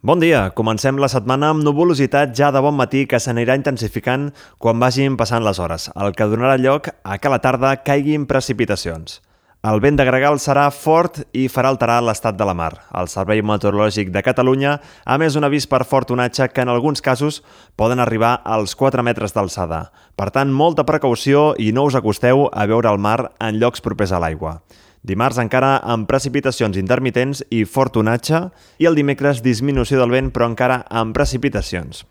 Bon dia, comencem la setmana amb nuvolositat ja de bon matí que s'anirà intensificant quan vagin passant les hores, el que donarà lloc a que a la tarda caiguin precipitacions. El vent de gregal serà fort i farà alterar l'estat de la mar. El Servei Meteorològic de Catalunya ha emès un avís per fort onatge que en alguns casos poden arribar als 4 metres d'alçada. Per tant, molta precaució i no us acosteu a veure el mar en llocs propers a l'aigua. Dimarts encara amb precipitacions intermitents i fort onatge i el dimecres disminució del vent però encara amb precipitacions.